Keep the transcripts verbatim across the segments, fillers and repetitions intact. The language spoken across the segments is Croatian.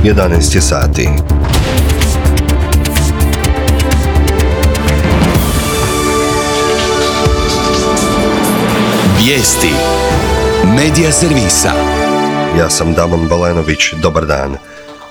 jedanaest je sati. Vijesti Medija servisa. Ja sam Damon Balenović, dobar dan.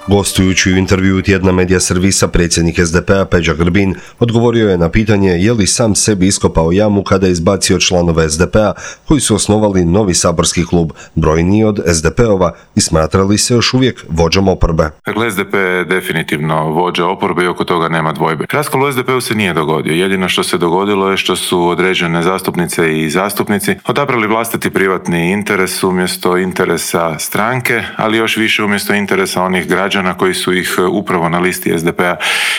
Gostujući u intervjuu tjedna Medija servisa, predsjednik S D P-a Peđa Grbin odgovorio je na pitanje je li sam sebi iskopao jamu kada je izbacio članove S D P-a koji su osnovali novi saborski klub, brojniji od S D P-ova i smatrali se još uvijek vođom oporbe. Dakle, S D P je definitivno vođa oporbe i oko toga nema dvojbe. Raskol u S D P-u se nije dogodio. Jedino što se dogodilo je što su određene zastupnice i zastupnici odabrali vlastiti privatni interes umjesto interesa stranke, ali još više umjesto interesa onih građana koji su ih upravo na listi S D P-a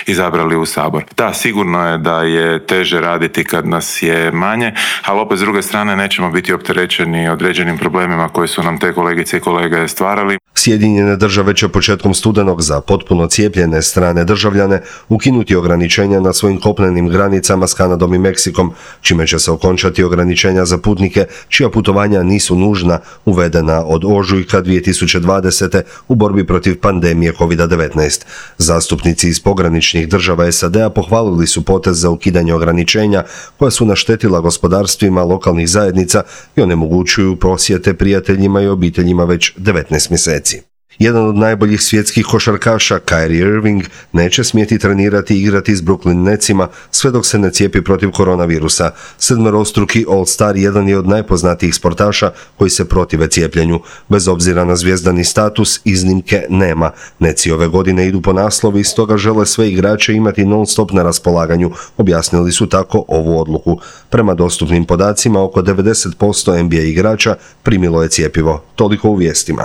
izabrali u Sabor. Da, sigurno je da je teže raditi kad nas je manje, ali opet s druge strane nećemo biti opterećeni određenim problemima koje su nam te kolegice i kolege stvarali. Sjedinjene države će početkom studenog za potpuno cijepljene strane državljane ukinuti ograničenja na svojim kopnenim granicama s Kanadom i Meksikom, čime će se okončati ograničenja za putnike čija putovanja nisu nužna, uvedena od ožujka dvije tisuće dvadesete u borbi protiv pandemije kovid devetnaest. Zastupnici iz pograničnih država S A D-a pohvalili su potez za ukidanje ograničenja koja su naštetila gospodarstvima lokalnih zajednica i onemogućuju posjete prijateljima i obiteljima već devetnaest mjeseci. Jedan od najboljih svjetskih košarkaša, Kyrie Irving, neće smjeti trenirati i igrati s Brooklyn Netsima sve dok se ne cijepi protiv koronavirusa. Sedmerostruki All-Star jedan je od najpoznatijih sportaša koji se protive cijepljenju. Bez obzira na zvijezdani status, iznimke nema. Netsi ove godine idu po naslovi i stoga žele sve igrače imati non-stop na raspolaganju, objasnili su tako ovu odluku. Prema dostupnim podacima, oko devedeset posto N B A igrača primilo je cjepivo. Toliko u vijestima.